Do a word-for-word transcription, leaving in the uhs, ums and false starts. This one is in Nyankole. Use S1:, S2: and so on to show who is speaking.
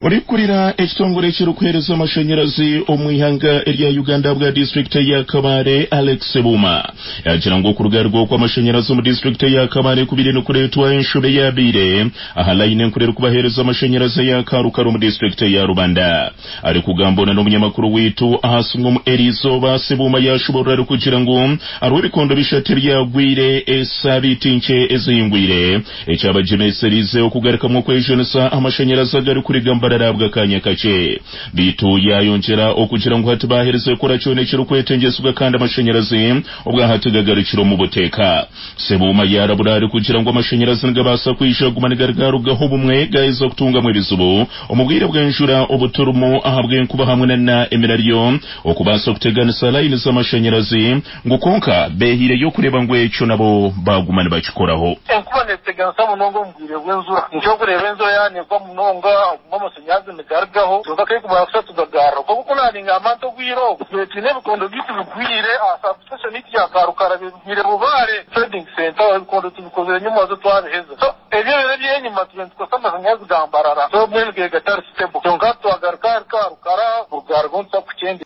S1: Orikurira ekitongore ekirikuheereza amashanyarazi omu ihanga erya Uganda bwa disitulikiti ya Kabale, Alex Sebuma, yagira ngu okurugaruga okw'amashanyarazi omu disitulikiti ya Kabale kubire nikureetwa enshobe yabaire aha layini enkuru erikubaheereza amashanyarazi ya Karukara omu disitulikiti ya Rubanda. Arikugambona n'omunyamakuru waitu aha simu omu eriizooba, Sebuma yashoborora arikugira ngu hariho ebikondo bishatu ebyagwire esabiiti nkye ezihingwire, ekyabagyemeserize okugarukamu okwejunisa amashanyarazi agarikuriga Mbarara bw'akanya kakye. Bitu yayongyera okugira ngu hati baaherize kukora kyona ekirikwetengyesibwa kandi amashanyarazi obwahati gagarukire omu buteeka. Sebuma yarabura arikugira ngu amashanyarazi nigabaasa kwija kuguma nigarugarugaho obumwe gaheza kutungamu ebizibu omu bwire bw'enjura obuturimu ahabw'enkuba hamwe na emiraryo okubaasa kuteganisa layini z'amashanyarazi, ngu konka behiireyo okureeba ngu ekyo nabo baguma nibakikoraho.
S2: Enkuba neteganisa munonga omu bwire bw'enjura, nikyokureeba enjura yanegwa munonga oguma amashanyarazi nigarugaho, kyonka kekumara kusha tugagarra. Konka naringamba nti obwire obu twine ebikondo byaitu bigwire aha substation yaitu ya Karukara, bigwire Bubaare trading center, ebikondo tubikozire nyuma zo twabiheza. So ebyo biro ebyenyima tube nitukozesa amashanyarazi ga Mbarara, so mbwenu ge gatari stable, kyonka twagaruka ahari Karukara bugarugaho nituza kukyendeza.